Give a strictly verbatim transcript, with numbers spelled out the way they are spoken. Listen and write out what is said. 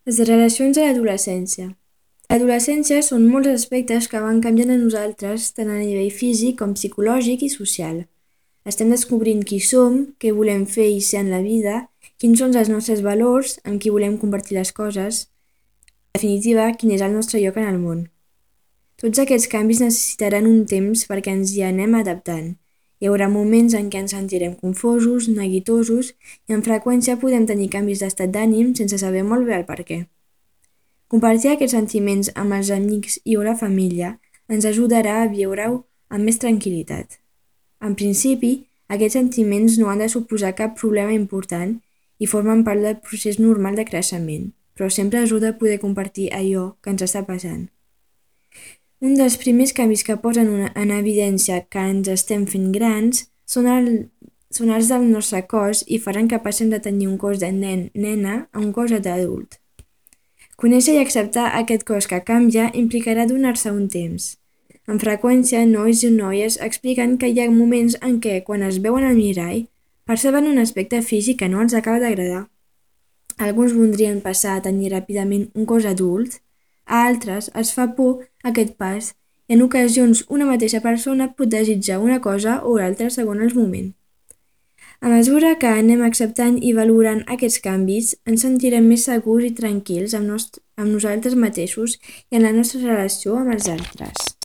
Les relacions a l'adolescència. A l'adolescència són molts aspectes que van canviant a nosaltres tant a nivell físic com psicològic i social. Estem descobrint qui som, què volem fer i ser en la vida, quins són els nostres valors, amb qui volem compartir les coses, en definitiva, quin és el nostre lloc en el món. Tots aquests canvis necessitaran un temps perquè ens hi anem adaptant. Hi haurà moments en què ens sentirem confosos, neguitosos i amb freqüència podem tenir canvis d'estat d'ànim sense saber molt bé el per què. Compartir aquests sentiments amb els amics i o la família ens ajudarà a viure-ho amb més tranquil·litat. En principi, aquests sentiments no han de suposar cap problema important i formen part del procés normal de creixement, però sempre ajuda a poder compartir allò que ens està passant. Un dels primers canvis que posen una, en evidència que ens estem fent grans són, el, són els del nostre cos i faran que passem de tenir un cos de nen-nena a un cos d'adult. Conèixer i acceptar aquest cos que canvia implicarà donar-se un temps. Amb freqüència, nois i noies expliquen que hi ha moments en què, quan es veuen al mirall, perceben un aspecte físic que no els acaba d'agradar. Alguns voldrien passar a tenir ràpidament un cos adult, a altres els fa por aquest pas i en ocasions una mateixa persona pot desitjar una cosa o l'altra segons el moment. A mesura que anem acceptant i valorant aquests canvis, ens sentirem més segurs i tranquils amb, nost- amb nosaltres mateixos i en la nostra relació amb els altres.